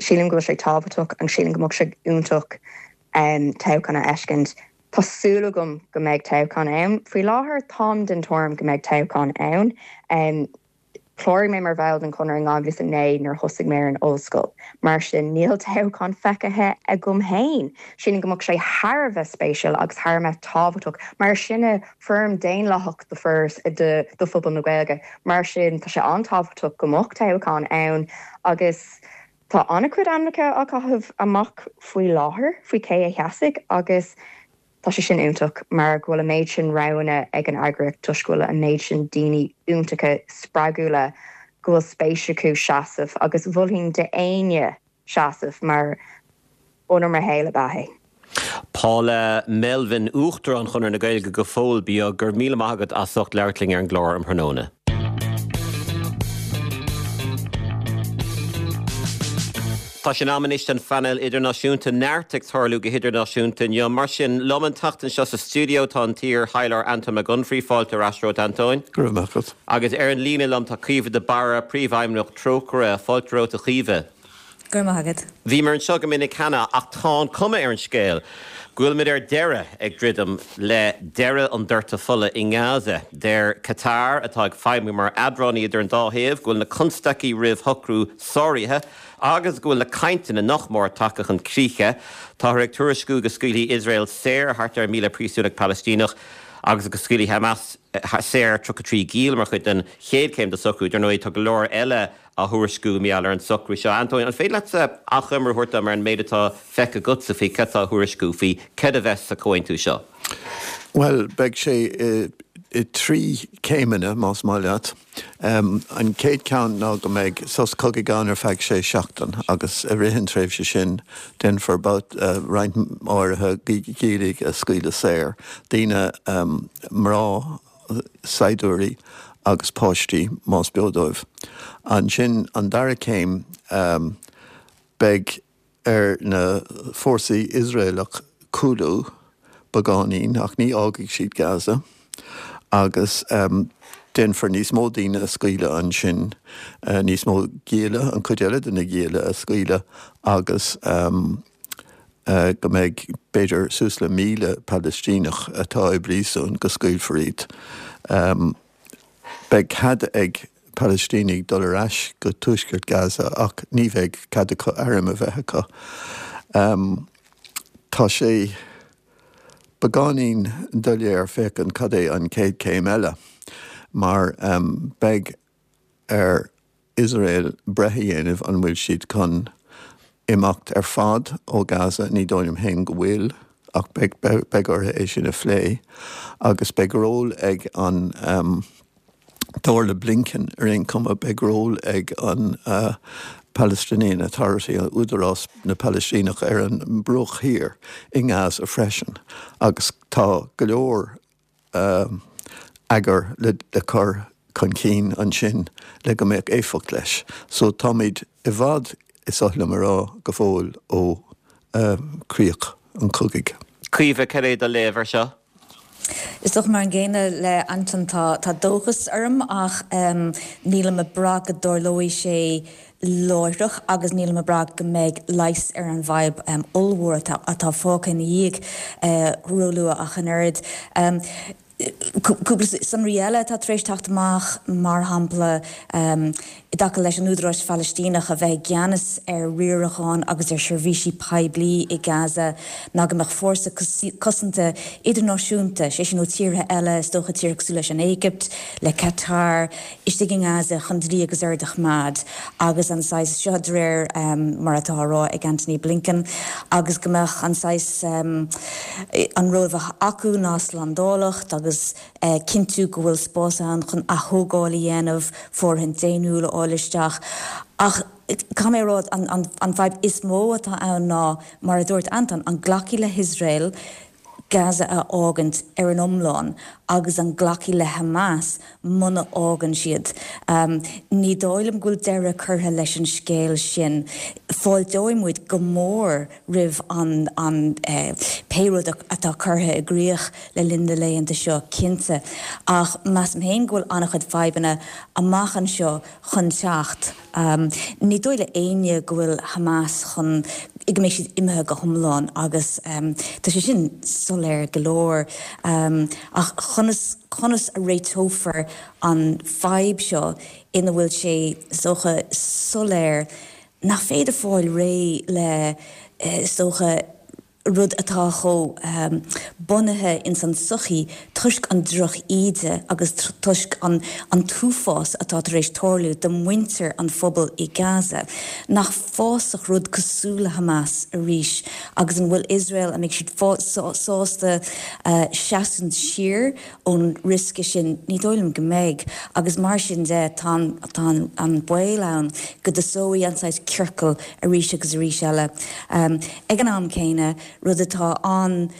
Sílim go bhfuil sé tábhachtach agus sílim go mbeadh sé iontach toghchán a fheiscint. Tá súil agam go mbeidh toghchán ann. Faoi láthair, táim den tuairim go mbeidh toghchán ann. Chláraigh mé mar bhall den Chonradh in 2009 nuair a thosaigh mé ar an ollscoil. Mar sin, níl toghchán feicthe agam féin. Sílim go mbeadh sé thar a bheith spéisiúil agus thar a mbeith tábhachtach, mar sinne foirm daonlathach do phobal na Gaeilge. Mar sin, tá sé an-tábhachtach go mbeadh toghchán ann agus. Tá an-chuid ainmneacha á gcaitheamh amach faoi láthair faoi cé a sheasfaidh agus tá sé sin iontach mar go bhfuil an méid sin roghanna ag an eagraíocht toisc go bhfuil an méid sin daoine iontacha spreagúla go bhfuil spéis acu seasamh agus mholfainn d'éinne seasamh mar onóir mo shaoil ab ea é. Paula Melvin, Uachtarán Chonradh na Gaeilge go fóill beo, go raibh míle maith agat as ucht labhairt linn ar an gclár um thráthnóna. Tá sé in am anois don phainéal idirnáisiúnta. Neart ag tarlú go hidirnáisiúnta inniu. Mar sin, liom an tseachtain seo sa stiúideo tá an t-iar-thaidhleoir Antóin Mac Unfraidh. Fáilte ar ais romhat, Antóin. Go raibh maith agat. Agus ar an líne liom tá Caoimhe de Barra, Príomhfheidhmeannach Trócaire. Fáilte romhat, a Chaoimhe. Go raibh maith agat. Bhíomar anseo go minic cheana ach tá an cuma ar an scéal go bhfuilimid ar deireadh ag druidim le deireadh an doirteadh fola i nGaza. Deir Qatar, atá ag feidhmiú mar eadránaí idir an dá thaobh, go bhfuil na constaicí roimh shocrú sáraithe agus go bhfuil na cainteanna nach mór tagtha chun críche. Táthar ag tuairisciú go scaoilfidh Iosrael saor thart ar 1,000 príosúnach Palaistíneach agus go scaoilfidh Hamas saor 33 giall mar chuid den chéad chéim de shocrú. Dar ndóigh, tá go leor eile á thuairisciú mar gheall ar an socrú seo. Antóin, an féidir leatsa achoimre a thabhairt dom ar an méid atá feicthe agatsa faoi cad tá á thuairisciú faoi cad a bheas sa chomhaontú seo? Bhuel, beidh sé i dtrí céimeanna, más maith leat. An chéad cheann ná go mbeidh sos cogaidh ann ar feadh sé seachtain agus i rith an tréimhse sin déanfar roinnt áirithe giallaigh a scaoileadh saor, daoine, mná, saighdiúirí agus páistí, más beo dóibh. Ansin, an dara céim, beidh ar na fórsaí Iosraelach cúlú beagáinín, ach ní fhágfaidh siad Gaza, agus déanfar níos mó daoine a scaoileadh ansin, níos mó gialla, an chuid eile de na gialla a scaoileadh agus. go mbeidh b'fhéidir suas le 1,000 Palaistíneach atá i bpríosún, go scaoilfear iad. Beidh cead ag Palaistínigh dul ar ais go tuaisceart Gaza ach ní bheidh cead acu airm a bheith acu. Tá sé beagáinín doiléir féachaint cad é an chéad chéim eile mar beidh ar Iosrael breith a dhéanamh an bhfuil siad chun imeacht ar fad ó Gaza, ní dóigh liom féin go bhfuil, ach beidh beidh orthu é sin a phlé. Agus beidh ról ag an, dar le Blinken ar aon chuma, beidh ról ag an Palestinian Authority, Údarás na Palaistíneach ar an mBruach Thiar i nGaza freisin. Agus tá go leor eagar le cur chun cinn ansin le go mbeadh éifeacht leis. So táimid i bhfad, is oth liom a rá, go fóill ó chríoch an chogaidh. Caoimhe, cad é do léamh air seo? Is dócha mar an gcéanna le Anton, tá dóchas orm ach nílim ag brath go dtarlóidh sé láithreach agus nílim ag brath go mbeidh leigheas ar an bhfadhb ollmhór atá fágtha ina dhiaidh róluath ach an oiread. Cúpla sonraí eile atá tar éis teacht amach, mar shampla, i dtaca leis an Údarás Phalaistíneach a bheith i gceannas ar riarachán agus ar sheirbhísí poiblí i Gaza, ná go mbeadh fórsa cosanta idirnáisiúnta, sé sin ó tíortha eile, is dócha tíortha cosúil leis an Éigipt, le Qatar, istigh i nGaza chun dlí agus ord a choimeád agus an saghas, seo de réir mar atá á rá ag Antony Blinken, agus go mbeadh an saghas, an ról a bheadh acu ná slándálacht agus cinntiú go bhfuil spás ann chun athógáil a dhéanamh, fóirithint daonnúil a fháil isteach. Ach caithfidh mé a rá, an fadhb is mó atá ann ná, mar a dúirt Anton, an nglacfaidh le hIosrael Gaza a fhágaint ar an iomlán agus an nglacfaidh le Hamas muna fhágann siad. Ní dóigh liom go bhfuil deireadh curtha leis an scéal sin. Fáilteoidh muid go mór roimh an an pé rud atá curtha i gcrích le linn na laethanta seo, cinnte, ach measaim féin go bhfuil an-chuid fadhbanna amach anseo chun teacht. Ní dóigh le éinne go bhfuil Hamas chun, go mbeidh siad imithe go hiomlán agus tá sé sin soiléir go leor. Ach conas, conas a réiteofar an fadhb seo ina bhfuil sé, is dócha, soiléir nach féidir fáil réidh le, is dócha. rud atá chomh bunaithe ins an tsochaí toisc an droch-íde agus toisc an an t-uafás atá tar éis tarlú do mhuintir an phobail i Gaza, nach bhfásfadh rud cosúil le Hamas arís agus an bhfuil Iosrael, an mbeidh siad sásta seasamh siar ón riosca sin? Ní dóigh liom go mbeidh agus mar sin de tá an baol ann go dtosóidh an saghas ciorcal arís agus arís eile. Ag an am céanna, rud atá an,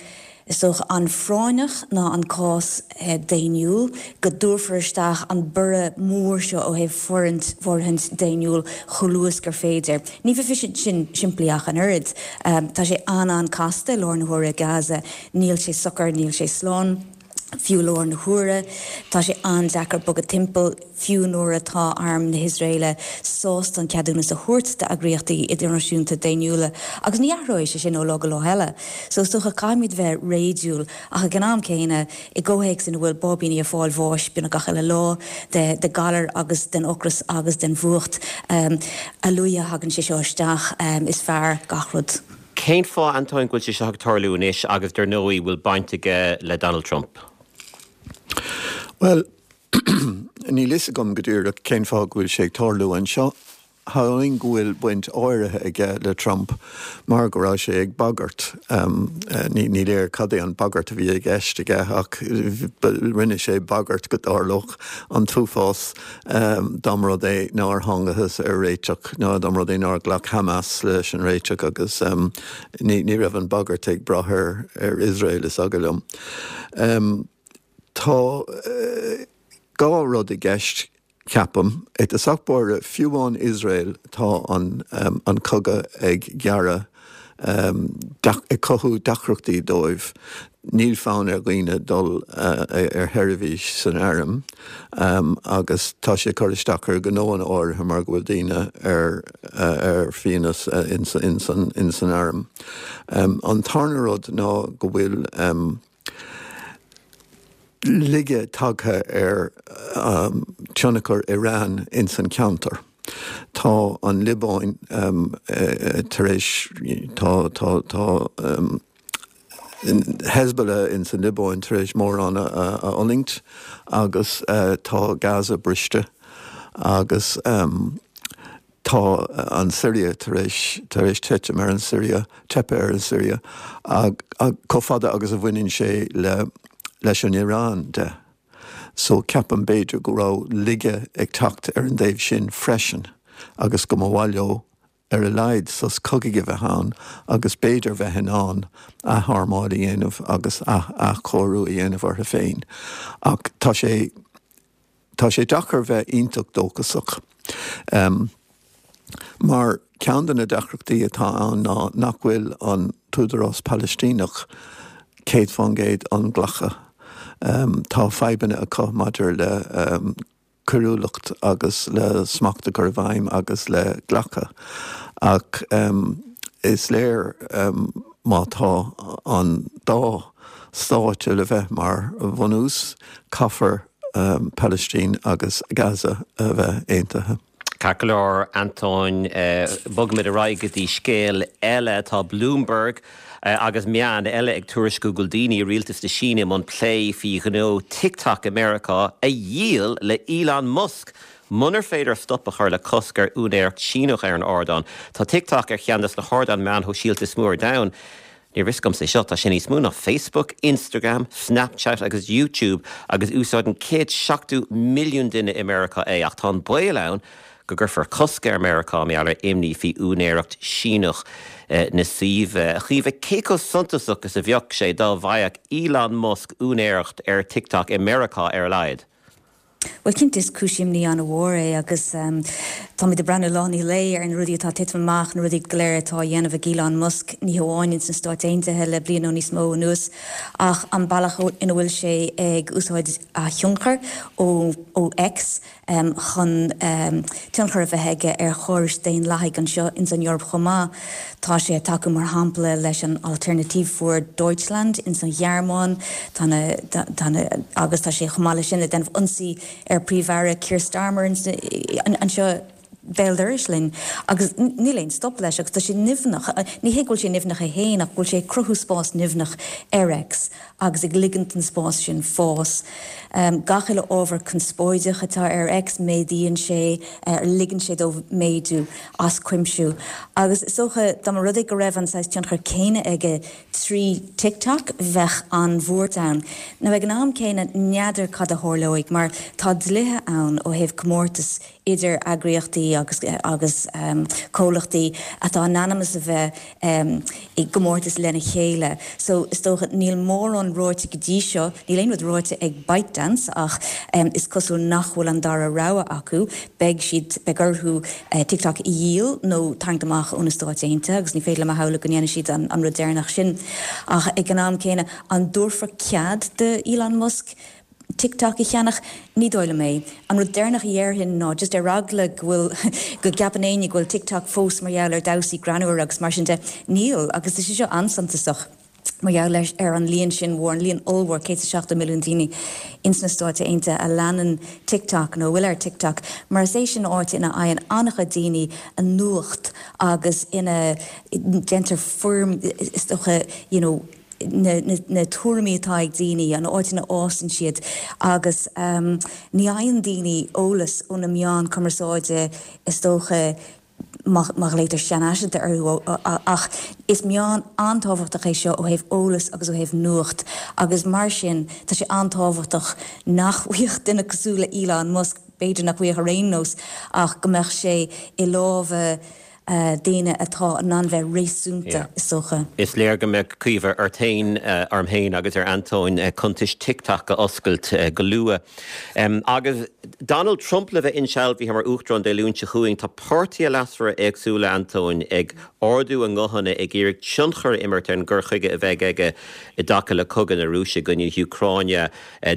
is dócha, an-phráinneach ná an cás daonnúil, go dtabharfar isteach an borradh mór seo ó thaobh fóirithint daonnúil chomh luath is gur féidir. Ní bheidh sin simplí ach an oiread. Tá sé an-an-casta i láthair na huaire i Gaza. Níl sé socair, níl sé slán. Fiú i láthair na huaire, tá sé an-deacair bogadh timpeall, fiú nuair atá arm na hIosraeile sásta an ceadúnas a thabhairt d'eagraíochtaí idirnáisiúnta daonnúla, agus ní athróidh sé sin ó lá go lá eile. So is dócha, caithfimid bheith réadúil, ach ag an am céanna, i gcomhthéacs ina bhfuil báibíní ag fáil bháis beagnach gach uile lá, de de ghalar agus den ocras agus den bhfuacht, a luaithe a thagann sé seo isteach, is fearr gach rud. Cén fáth, Antóin, go bhfuil sé seo ag tarlú anois agus dar ndóigh bhfuil baint aige le Donald Trump? Bhuel, níl fhios agam go díreach cén fáth go bhfuil sé ag tarlú anseo. Shamhlóinn go bhfuil baint áirithe aige le Trump mar go raibh sé ag bagairt. Ní léir cad é an bagairt a bhí i gceist aige ach rinne sé bagairt go dtarlódh an t-uafás Dá mba rud é nár thángathas ar réiteach, nó dá mba rud é nár ghlac Hamas leis an réiteach agus ní raibh an bhagairt ag brath ar Iosrael, is eagal liom. Tá dhá rud i gceist, ceapaim. I dtosach báire, fiú amháin Iosrael, tá an cogadh ag gearradh ag cothú deacrachtaí dóibh. Níl fonn ar dhaoine dul ar sheirbhís san airm agus tá sé ag cur isteach ar ghnóanna áirithe mar go bhfuil daoine ar ar fiannas ins an arm. An tarna rud ná go bhfuil laige tagtha ar tionchar Iran ins an cheantar. Tá an Liobáin tar éis, tá, tá, tá Hezbollah ins an Liobáin tar éis mórán a fhulaingt agus tá Gaza briste agus Tá an Siria tar éis tar éis titim ar an Siria, teipthe ar an Siria, chomh fada agus a bhaineann sé le leis an Iran de. So ceapaim b'fhéidir go raibh laige ag teacht ar an dtaobh sin freisin agus go mba mhaith leo ar a laghad sos cogaidh a bheith ann agus b'fhéidir bheith in ann atharmáil a dhéanamh agus athchóiriú a dhéanamh orthu féin. Ach tá sé. Tá sé deacair bheith iontach dóchasach mar ceann de na deacrachtaí atá ann ná nach bhfuil an tÚdarás Palaistíneach 100% inghlactha. Tá fadhbanna acu maidir le coiriúlacht agus le smacht a chur i bhfeidhm agus le glacadh ach is léir má tá an dá stát le bheith mar bhunús caithfear Palaistín agus Gaza a bheith aontaithe. Ceart go leor, Antóin, bogfaimid ar aghaidh go dtí scéal eile. Tá Bloomberg agus meáin eile ag tuairisciú go bhfuil daoine i rialtas na Síne i mbun plé faoi ghnó TikTok i Meiriceá a dhíol le Elon Musk munar féidir stop a chur le cosc ar úinéireacht Síneach ar an ardán. Tá TikTok ar cheann de na hardáin meáin shóisialta is mó ar domhan. Ní raibh fhios agamsa é seo, tá sé níos mó ná Facebook, Instagram, Snapchat agus YouTube agus úsáideann 170 milliún duine i Meiriceá é ach tá an baol ann go gcuirfear cosc ar Meiriceá mar gheall ar imní faoi úinéireacht Síneach na suímhe. A Chaoimhe, cé chomh suntasach is a bheadh sé dá bhfaigheadh Elon Musk úinéireacht ar TikTok i Meiriceá ar a laghad? Bhuel, cinnte, is cúis imní an-mhór é agus táimid ag breathnú lá i ndiaidh lae ar na rudaí atá ag titim amach, na rudaí go léir atá á dhéanamh ag Elon Musk, ní hamháin ins na Stáit Aontaithe le bliain nó níos mó anuas, ach an bealach ina bhfuil sé ag úsáid a thionchar ó ó X chun tionchar a bheith aige ar chórais daonlathaigh anseo ins an Eoraip chomh maith. Tá sé ag tacú, mar shampla, leis an Alternative für Deutschland ins an Ghearmáin, tá na, tá na, agus tá sé chomh maith leis sin ag déanamh ionsaí ar Príomh-Aire Keir Starmer anseo. béal dorais linn agus níl aon stop leis agus tá sé nimhneach, ní hé go bhfuil sé nimhneach é féin ach go bhfuil sé ag cruthú spás nimhneach ar X agus ag ligint don spás sin fás. Gach uile ábhar conspóideach atá ar X, méadaíonn sé, ligeann sé dó méadú as cuimse agus is dócha dá mba rud é go raibh an saghas tionchar céanna aige 3 TikTok, bheadh an-bhuairt ann. Now ag an am céanna, n'fheadar cad a tharlóidh mar tá dlíthe ann ó thaobh comórtas idir eagraíochtaí agus agus comhlachtaí atá in ainm is a bheith i gcomórtas lena chéile. So is dócha níl mórán ráite go dtí seo, níl aon rud ráite ag ByteDance ach is cosúil nach bhfuil an dara rogha acu, beidh siad, beidh orthu TikTok a dhíol nó tarraingt amach ó na Stáit Aontaithe agus ní féidir liom a shamhlú go ndéanfaidh siad an rud deireanach sin. Ach ag an am céanna, an dtabharfar cead do Elon Musk TikTok a cheannach? Ní dóigh liom é. An rud deireanach a dhéarfainn ná just ar eagla go bhfuil, go gceapann éinne go bhfuil TikTok fós mar gheall ar dhamhsaí greannmhara agus mar sin de, níl agus tá sé seo an-suntasach mar gheall ar an líon sin mhór, an líon ollmhór, 170 milliún daoine ins na Stáit Aontaithe a leanann TikTok nó a bhfuil ar TikTok, mar is é sin áit ina fhaigheann an-chuid daoine a nuacht agus ina ndéantar foirm, is dócha, you know, na tuairimí atá ag daoine, an áit ina fhásann siad agus ní fhaigheann daoine eolas ó na meáin cumarsáide is dócha má ghlaotar seanfhaiseanta orthu ach is meán an-tábhachtach é seo ó thaobh eolas agus ó thaobh nuacht agus mar sin tá sé an-tábhachtach nach bhfaigheadh duine cosúil le Elon Musk, b'fhéidir nach bhfaigheadh ar aon nós ach go mbeadh sé i lámha daoine atá in ann bheith réasúnta, is dócha. Is léir go mbeadh Caoimhe ort féin, orm féin agus ar Antóin cuntais TikTok a oscailt go luath. Agus Donald Trump le bheith insealbhaithe mar Uachtarán Dé Luain seo chugainn, tá páirtithe leasmhara éagsúla, Antóin, ag ardú a nguthanna ag iarraidh tionchar a imirt ar an gcur chuige a bheidh aige i dtaca le cogadh na Rúise i gcoinne na hÚcráine.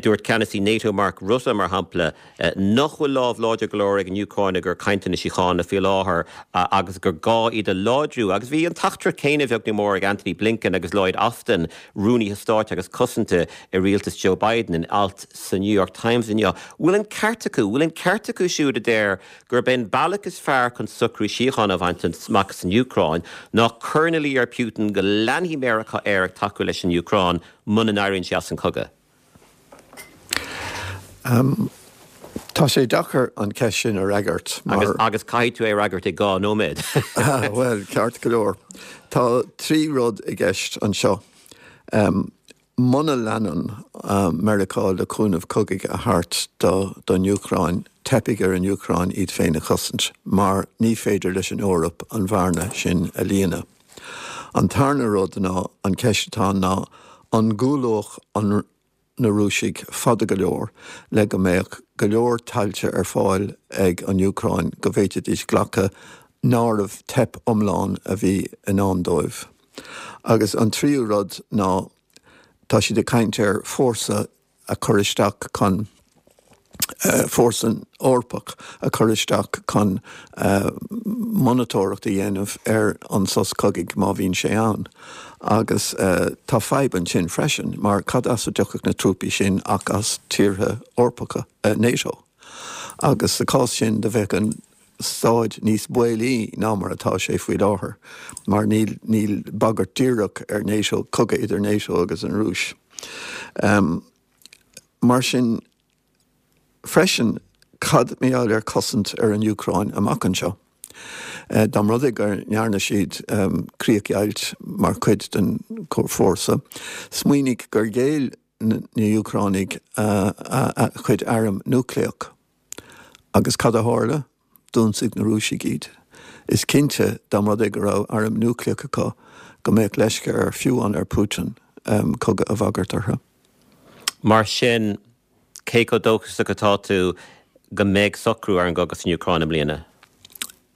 Dúirt ceannasaí NATO Mark Rutte, mar shampla, nach bhfuil lámh láidir go leor ag an Úcráin i gcomhair cainteanna síochána faoi láthair agus gur gá iad a láidriú. Agus bhí an teachtaireacht chéanna, beag nó mór, ag Antony Blinken agus Lloyd Austin, Rúnaithe Stáit agus Cosanta i rialtas Joe Biden, in alt sa New York Times inniu. Bhfuil an ceart acu? Bhfuil an ceart acu siúd a deir gurb é an bealach is fearr chun socrú síochána a bhaint amach san Úcráin ná cur ina luí ar Putin go leanfaidh Meiriceá air ag tacú leis an Úcráin muna n-éiríonn sé as an chogadh? Tá sé deacair an cheist sin a fhreagairt mar. Agus caithfidh tú é a fhreagairt i 2 nóiméad. Bhuel, ceart go leor. Tá 3 rud i gceist anseo. Muna leanann Meiriceá le cúnamh cogaidh a thabhairt don Úcráin, teipfidh ar an Úcráin iad féin a chosaint mar ní féidir leis an Eoraip an bhearna sin a líonadh. An tarna rud ná, an ceist atá ann ná, an gcúlódh an na Rúisigh fada go leor le go mbeadh go leor tailte ar fáil ag an Úcráin go bhféadfaidís glacadh nárbh teip iomlán a bhí i ndán dóibh. Agus an tríú rud ná, tá siad ag caint ar fórsa a chur isteach chun fórsa Eorpach a chur isteach chun monatóireacht a dhéanamh ar an sos cogaidh má bhíonn sé ann. Agus tá fadhb ansin freisin mar cad as a dtiocfadh na trúpaí sin ach as tíortha Eorpacha NATO? Agus sa chás sin do bheadh an staid níos baolaí ná mar atá sé faoi láthair mar níl níl bagairt díreach ar NATO, cogadh idir NATO agus an Rúis. Mar sin freisin, cad mar gheall ar cosaint ar an Úcráin amach anseo? Dá mba rud é go ndearna siad críochdheighilt mar chuid den fhórsa, smaoinigh gur ghéill na hÚcránaigh a gcuid arm núicléach. Agus cad a tharla? D'ionsaigh na Rúisigh iad. Is cinnte, dá mba rud é go raibh arm núicléach acu, go mbeadh leisce ar fiú amháin ar Putin cogadh a bhagairt orthu. Mar sin, cé chomh dóchasach atá tú go mbeidh socrú ar an gcogadh san Úcráin i mbliana?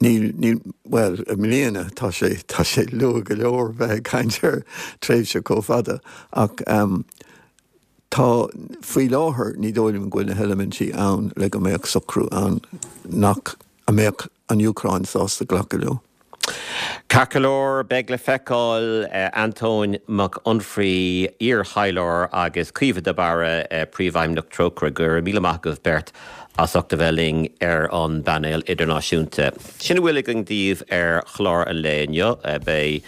Níl, níl, bhuel, i mbliana, tá sé, tá sé luath go leor bheith ag caint ar tréimhse chomh fada, ach tá, faoi láthair, ní dóigh liom go bhfuil na heilimintí ann le go mbeadh socrú ann nach, a mbeadh an Úcráin sásta glacadh leo. Ceart go leor, beidh le feiceáil. Antóin Mac Unfraidh, iar-thaidhleoir, agus Caoimhe de Barra, Príomhfheidhmeannach Trócaire, go raibh míle maith agaibh beirt. As ucht a bheith linn ar an bpainéal idirnáisiúnta. Sin a bhfuil againn daoibh ar chlár an lae inniu. Beidh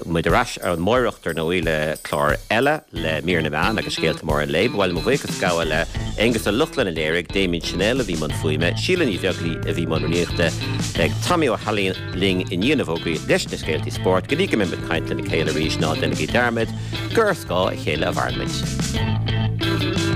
muid ar ais amáireach, dar ndóigh, le clár eile, le mír na meán agus scéalta móra an lae. Ba mhaith liom mo bhuíochas a ghabháil le Aonghus Ó Lochlainn a léirigh, Damien Channel a bhí i mbun fuaime, Síle Ní Bheaglaoí a bhí i mbun rúnaíochta. Beidh Tommy Ó hAilín linn i ndiaidh na bhfógraí leis na scéaltaí spóirt. Go dtí go mbeidh muid ag caint lena chéile arís, ná déanaigí dearmad gur ar scáth a chéile a mhaireann muid.